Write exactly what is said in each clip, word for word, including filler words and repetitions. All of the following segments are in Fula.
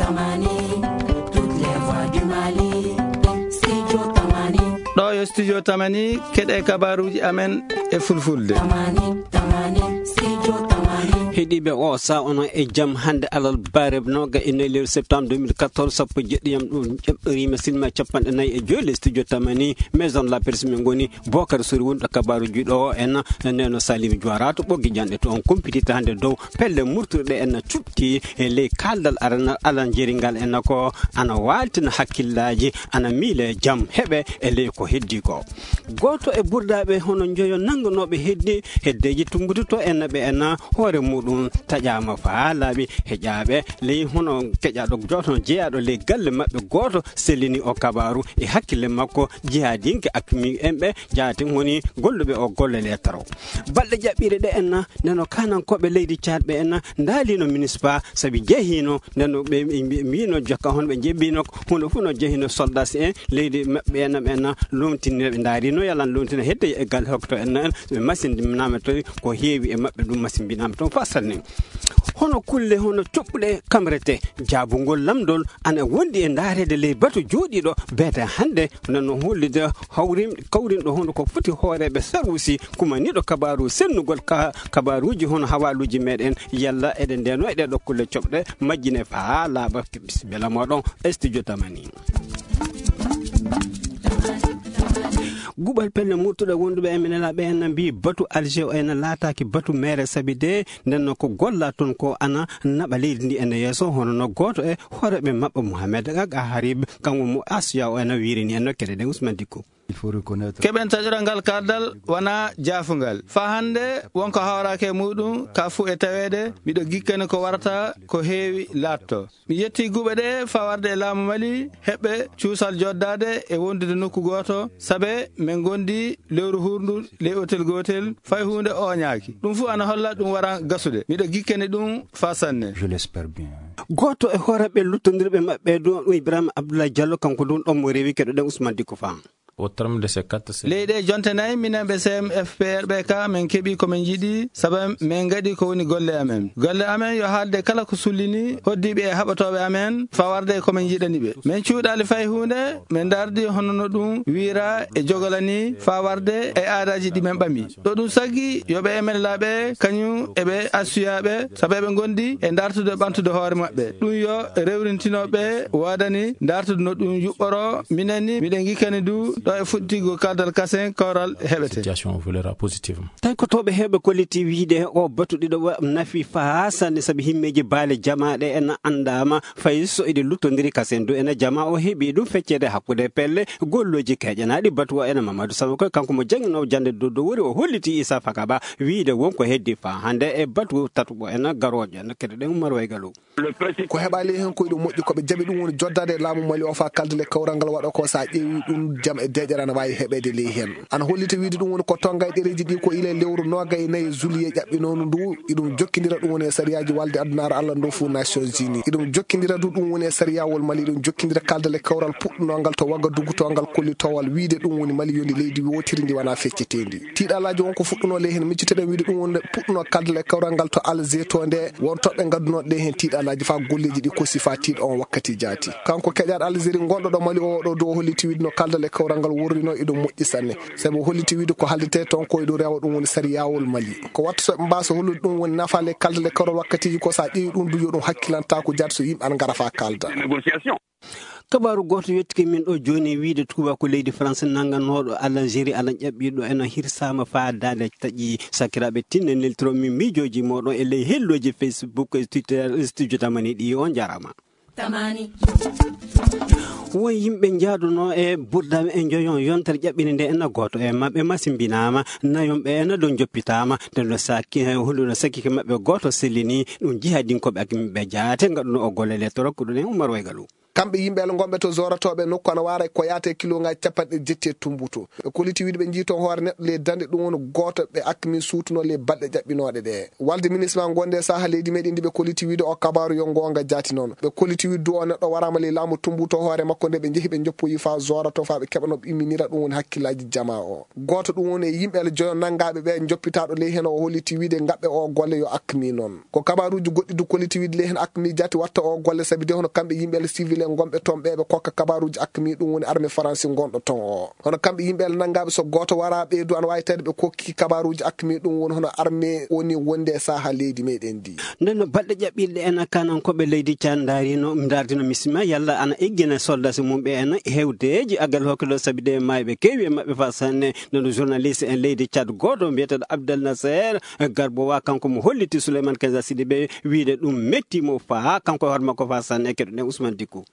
Tamani, toutes les voix du Mali. Studio Tamani. Ɗo yo Studio Tamani, keɗe kabaruji amen e fulfulde. Tamani, Tamani, Studio Tamani. Heɗiɓe, o sa onon e jam hannde alal bareb noga e nayi lewru septembre deux mille quatorze, sappo e jeɗɗiyam ɗum ƴeɓɗorima silma capanɗe nayi e joyi le Studio Tamani, maison de la presse min ngoni. Bokar Sori woni ɗo kabaruji ɗo en, neno Salim Juwara to ɓoggi janɗe to on kumpitita hannde dow pelle murturɗe en cuɓti e ley kaldal arana alan jeringal en ko ana waltina hakkillaji, ana miile jam heɓe e ley ko heddi ko. Goto e burdaɓe hono njoyo nanganooɓe heddi heddeji tumbututo en ɓe en hoore muɗum taƴama faa laaɓi heƴaɓe ley hono keƴaɗo joto jeyaɗo ley galle maɓɓe goto sellini o kabaru e hakkille makko jihadinke akmi en ɓe jaati woni golluɓe o golle letaro. Balɗe jaɓɓiɗe ɗe en neno kanankoɓe leydi Tchad ɓe en ndaalino municipal sabi jehino neno ɓe mbino jokka hono ɓe jebbino hunde fof no jehino soldat en leydi maɓɓe en ɓe en lomtinino ɓe ndaarino yalan lomtina hedde e gal hokto en en ɓe masinnaama to ko heewi e maɓɓe ɗum masimbinaama toon fa sanne. Hono kulle hono coɓɓuɗe kamrete jaabungol lamdol ana wondi e ndaareede ley batu jooɗiiɗo beete hannde nano hollude hawrin kawrinɗo hono ko foti hooreeɓe saruusi kumaniiɗo kabaaru sennugol ka kabaaruuji hono hawaaluuji meɗen yalla eɗen ndeno e ɗeɗo kulle coɓɗe majjine faa laaɓa. Bisimilla moɗon. Studio Tamani. Guɓal pelle murtuɗe wonduɓe e minen laɓe en mbi batu Alger o ena laataaki batu mere sabi de nden no ko golla toon ko ana naɓa leydi ndi ene yeeso hono no gooto e hooreɓe maɓɓe Mohamed Aga Harib kanko mo Asiya o ena wiirini en no kede ɗen Ousmane Dikko. Keɓen taƴoral ngal kardal wona jaafungal. Faa hannde wonko hawraaki e muuɗum ka fuu e taweede miɗo gikkani ko warata ko heewi laatto. Mi yetti guɓe ɗe faa warde e laamu Mali heɓɓe cuusal joddaade e wondude nokku gooto sabe min ngondi lewru hurndu ley otel gootel fay huunde ooñaaki. Ɗum fuu ana holla ɗum wara gasude. Miɗo gikkani ɗum faa sanne. Gooto e hooreɓe luttondirɓe maɓɓe ɗum Ibrahima Abdoulaye Diallo kanko ɗum ɗon mo rewi keɗoɗen Ousmane Dikko Fam. Ley ɗe jonte nayi minen ɓe C M F P R ɓe ka min keɓi ko min njiɗi sabu min ngaɗi ko woni golle amen. Golle amen yo haalde kala ko sullini hoddiiɓe e haɓatooɓe amen faa warde e ko min njiɗani ɓe. Min cuuɗaali fay huunde min ndardi hono no ɗum wiira e jogolani faa warde e aadaaji ɗi min ɓami. Ɗo ɗum saggi yo ɓe M N L A ɓe kañum e ɓe assuyaaɓe sabu eɓe ngondi e ndartude ɓamtude hoore maɓɓe. Ɗum yo rewrintino ɓe woodani ndartude no ɗum yuɓɓoro. Minen ni miɗen ngikkani du ɗo e fuɗɗigo kaldal kasen kawral heɓete. Situation o volera positivement. Tawi ko toɓe heɓe kolliti wiide o batu ɗiɗo wa nafi faa sanne sabi himmeji baale jamaaɗe en anndama fay so eɗi luttondiri kasen du ena jama o heɓi ɗum feccede hakkude pelle golloji keƴanaɗi batu o ena Mamadou Samako kanko mo janginowo jande dow dow wori o holliti Issa Fakaba wiide wonko heddi faa hannde e batu tatuɓo ena garojo ena kede ɗen Umar Waygalu. Ko heɓaali heen ko iɗum moƴƴi ko ɓe jaɓi ɗum woni joddaade e laamu Mali o faa kaldale kawral ngal waɗa ko so a ƴeewi ɗum jam e deeƴere ana waawi heɓeede ley heen. Ana hollita wiide ɗum woni ko tonnga e ɗereeji ɗi ko ila e lewru nooga e nayi juillet ƴaɓɓinoondu ndu iɗum jokkindira ɗum woni e sariyaaji walde addunaare Allah ndu fof Nations Unies iɗum jokkindira du ɗum woni e sariyawol Mali iɗum jokkindira kaldale kawral puɗɗunongal to Wagadugu to ngal kollitowal wiide ɗum woni Mali yoni leydi wootiri ndi wona fecceteendi. Tiiɗalaaji won ko fuɗɗunoo ley heen miccitoɗen wiide ɗum woni puɗɗunoo kaldal e kawral ngal to Alger to nde won toɓɓe ngaddunoɗe ɗe heen tiiɗalaaji faa golleeji ɗi kosi faa tiiɗo on wakkati jaati. Kanko keƴaaɗo Algérie ngonɗo ɗo Mali o ɗo dow holliti wiide no kaldal e kawral ngal worrino iɗum moƴƴi sanne. Sabu o holliti wiide ko haldetee toon ko iɗum rewa ɗum woni sariyawol Mali. Ko watta so ɓe mbaasa hollude ɗum woni nafaale kaldal e kawral wakkatiiji ko so a ƴeewi ɗum du yo ɗum hakkilantaaku jaati so yimɓe ana ngara faa kalda. Kabaaru gooto yettike min ɗo jooni e wiide tuubaaku leydi France nannganooɗo Algérie ana ƴaɓɓiiɗo ena hirsaama faa daande taƴi. Sakiraaɓe tinne neltiro min miijooji mooɗon e ley hellooji Facebook e Twitter e studio tamani ɗi on njaaraama. Tamani. Won yimɓe njaadunoo e burdaami e njoyon yontere ƴaɓɓinde nde ena gooto e maɓɓe masimbinaama nayon ɓe ena ɗo njoppitaama nde no sakki hunde no sakkike maɓɓe gooto sellini ɗum jihadinkooɓe ak yimɓe jaate ngaɗuno o golle le torok ɗum en Umar Waygalu. Kamɓe yimɓe Allah ngonɓe to Zoora to ɓe nokku ana waara e ko yaata e kilooŋaaji capanɗe jetti e tumbuto. Ɓe kolliti wiide ɓe njii toon hoore neɗɗo ley dande, ɗum woni gooto ɓe akmi suutunoo ley balɗe ƴaɓɓinooɗe ɗe. Walde ministre ma gonde e saha leydi meɗen ndi ɓe kolliti wiide o kabaaru yo ngoonga jaati noon. Ɓe kolliti wiide du o neɗɗo waraama ley laamu tumbuto hoore makko nde ɓe njehi ɓe njoppoyi faa Zoora to faa ɓe keɓa no ɓe imminira ɗum woni hakkillaaji jamaa o. Gooto ɗum woni e yimɓe Allah joyo nanngaaɓe ɓe njoppitaaɗo ley heen o holliti wiide ngaɓɓe o golle yo akmi noon. Ko kabaaruuji goɗɗi du kolliti wiide ley heen akmi jaati watta o golle sabi de hono kamɓe yimɓe Allah civil en ngonɓe toon ɓe ɓe kokka kabaaruuji akmi ɗum woni armée faransi ngonɗo toon o. Hono kamɓe yimɓe Allah nanngaaɓe so gooto waraa ɓe du ana waawi tawde ɓe kokki kabaaruuji akmi ɗum woni hono armée woni wonde e saha leydi meɗen ndi. Nden no balɗe ƴaɓɓiiɗe en kanankooɓe leydi Caad ndaarino, ndaardino misima yalla ana eggina soldasi mum ɓe en hewdeeji aggal hokkilo sabi de maayɓe keewi e maɓɓe faa sanne. Nden no journaliste en leydi Caad gooto mbiyeteeɗo Abdel Nasser Garbowa kanko mo holliti Souleymane Kenza Sidibé wiide ɗum metti mo faa kanko e hoore makko faa sanne. Keɗoɗen Ousmane Dickou.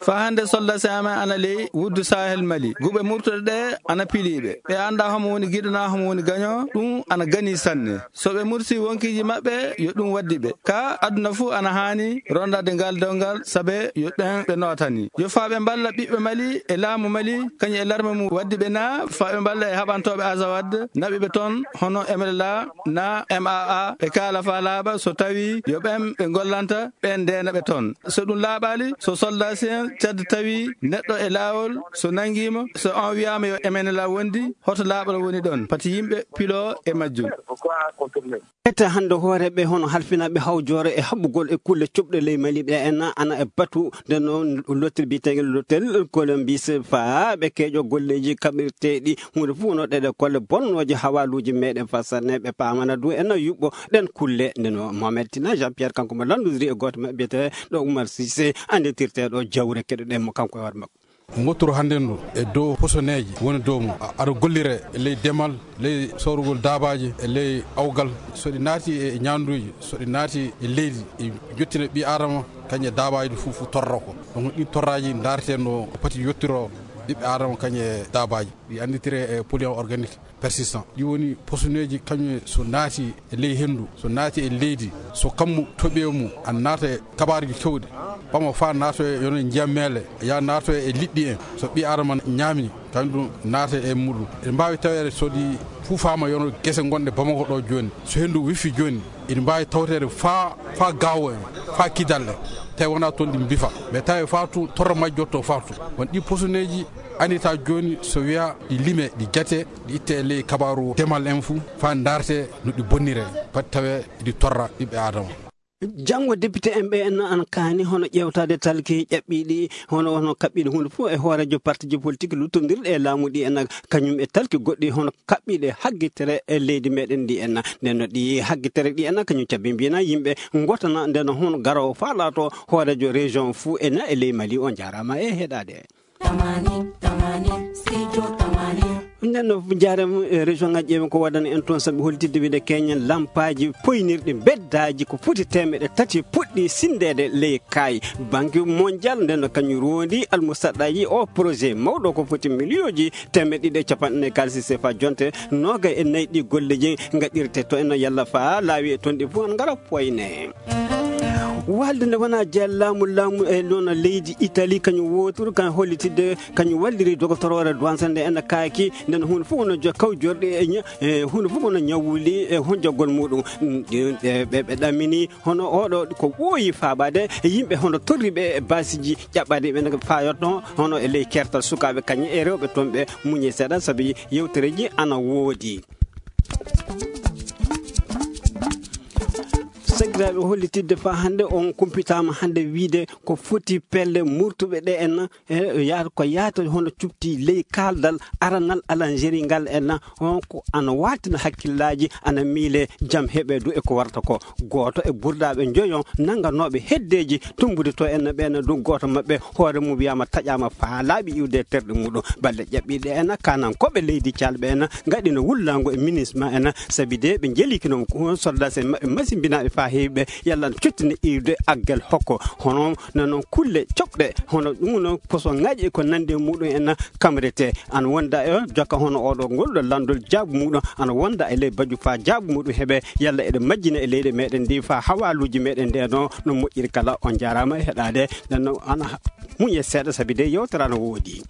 Faa hannde soldasi amen ana ley wuddu Sahel Mali. Guɓe murtuɗe ɗe ana piliiɓe. Ɓe anndaa homo woni giɗo naa homo woni gaño, ɗum ana gani sanne. So ɓe mursi wonkiiji maɓɓe, yo ɗum waddi ɓe. Ka aduna fuu ana haani rondaade ngal dewgal, sabe yo ɓen ɓe nootani. Yo faa ɓe mballa ɓiɓɓe Mali e laamu Mali, kañum e larme mum waddi ɓe naa, faa ɓe mballa e haɓantooɓe Azawad, naɓi ɓe toon, hono M L A naa M A A, ɓe kaala faa laaɓa, so tawii yo ɓen ɓe ngollanta, ɓen ndeena ɓe toon. So ɗum laaɓaali, so soldasi en Caad tawi neɗɗo e laawol, so nanngiima, so on wiyaama yo M N L A wondi, hoto laaɓal woni ɗon? Pati yimɓe piloo e majjum. Ete hannde hooreeɓe hono halfinaaɓe hawjoore e haɓugol e kulle cuɓɗe ley Mali ɓe en ana e batu nde no lottel biyeteeŋgel lottel Colombis faa ɓe keeƴo golleeji kaɓirteeɗi huunde fof no ɗeɗe kolle bonnooje hawaaluuji meɗen faa sanne ɓe paamana du en yuɓɓo ɗen kulle. Nde no Mohamed Tina Jean Pierre kanko mo lanndodiri e gooto maɓɓe biyetee ɗo Oumar Cissé annditirteeɗo jawre keɗoɗen mo kanko e hoore makko. Ngottoro hannde ndu e dow posoneeji woni dow mum. A-, aɗa gollire e ley demal, ley soorugol daabaaji, e ley awgal. So ɗi naati e ñaanduuji, so ɗi naati e leydi, ɗi jottina ɓii Aadama, kañum e daabaaji ɗi fof, fof torra ko. Donc, ɗin torraaji ndaarten no pati yottiro ɓiɓɓe Aadama kañum e daabaaji. Ɗi annditire e polluant organique persistant. Ɗi woni posoneeji kañum so naati e ley henndu, so naati e leydi, so kammu toɓi e mum, ana naata e kabaaruuji keewɗi, ɓama faa naata e yono ndiyam meele, yaa naata e liɗɗi en. So ɓii Aadama ñaami, kañum ɗum naata e muɗum. Eɗe mbaawi taweede so ɗi fuufaama yono gese gonɗe Bamako ɗo jooni. So henndu wifi jooni, eɗi mbaawi tawteede faa, faa Gaawo en, faa Kidal en. Tawi wonaa toon ɗi mbifa. Mais tawi faa tun torra majjotto faa tun. Won ɗi posoneeji anndita jooni so wiya ɗi lime, ɗi jate, ɗi itte e ley kabaaru demal en fuu, faa ndaarte no ɗi bonnire, pati tawe ɗi torra ɓiɓɓe Aadama. Janngo, député en ɓe en ana kaani hono ƴeewtaade talki ƴaɓɓiiɗi, hono, hono kaɓɓiiɗi huunde fof e hooreejo partiji politik luttondirɗi e laamu ɗi en, kañum e talki goɗɗi hono kaɓɓiiɗe haggitere e leydi meɗen ndi en. Nden no ɗi haggitere ɗi en, kañum cabbi mbiyana yimɓe ngotana, nden no hono garoowo faa laato hooreejo région fuu en e ley Mali. On njaaraama e heɗaade. Tamani, tamani, studio tamani. Nden no njaarem, eh, région ngaji ƴeewen ko waɗani en toon sabu holtidde wiide keñen lampaaji poynirɗi beddaaji ko foti teemeɗe tati puɗɗi sinndeede ley kaay. Banque mondial nden no kañum roondi almusaɗɗaaji o projet mawɗo ko foti miliyooji teemeɗe ɗiɗi e capanɗe nayi kaalisi sefa jonte noogay e nayi ɗi golleji ngaɗirte to en no yalla faa laawi e toon ɗi fof ngara poyne. Walde nde wonaa jeel laamu, laamu e noon leydi Italie, kañum wooturu, kan hollitidde, kañum walliri dogotoroore duwansa nde ena kaaki, nden huunde fof no jo-, kawjorɗi e ña-, e huunde fof no ñawuli e honjagol muɗum. Mm, e ɓe, ɓe ɗamini hono oɗo ko ɓooyi faabaade e yimɓe hono torri ɓe e baasiji ƴaɓɓaade ɓe no faayotno hono e ley kertal sukaaɓe kañum e rewɓe toon ɓe muñe seeɗa sabi yewtereji ana woodi. Sakiraaɓe, hollitidde faa hannde on kumpitaama hannde wiide ko foti pelle murtuɓe ɗe en, e, yaata, ko yaata hono cubti ley kaaldal aranal Alanjeri ngal en, on ko ana waatina hakkillaaji, ana miile jam heɓe du e ko warta ko. Gooto e burdaaɓe njoyo nannganooɓe heddeeji tumbude to en ɓeen du gooto maɓɓe hoore mum wiyaama taƴaama faa laaɓi iwde e terɗe muɗum. Balɗe ƴaɓɓiiɗe en, kanankooɓe leydi Caad ɓe en, ngaɗino wullaango e ministre ma en, sabi de ɓe njeliki noon ko soldats en maɓɓe masimbinaaɓe faa heewi. Ɓe yalla no cottini iwde aggal hokko, hono no noon kulle coɓɗe, hono ɗum noon poson ŋaaji e ko nandi e muɗum en kamrete. Ana wonda e jokka hono oɗo ngol ɗo lanndol jaabu muɗum, ana wonda e ley baju fa jaabu muɗum heɓe, yalla eɗe majjina e leyɗe meɗen ndi fa hawaaluuji meɗen nde no, no moƴƴiri kala. On jaaraama e heɗaade. Nden noon ana muñe seeɗa sabi de yewtere ana woodi.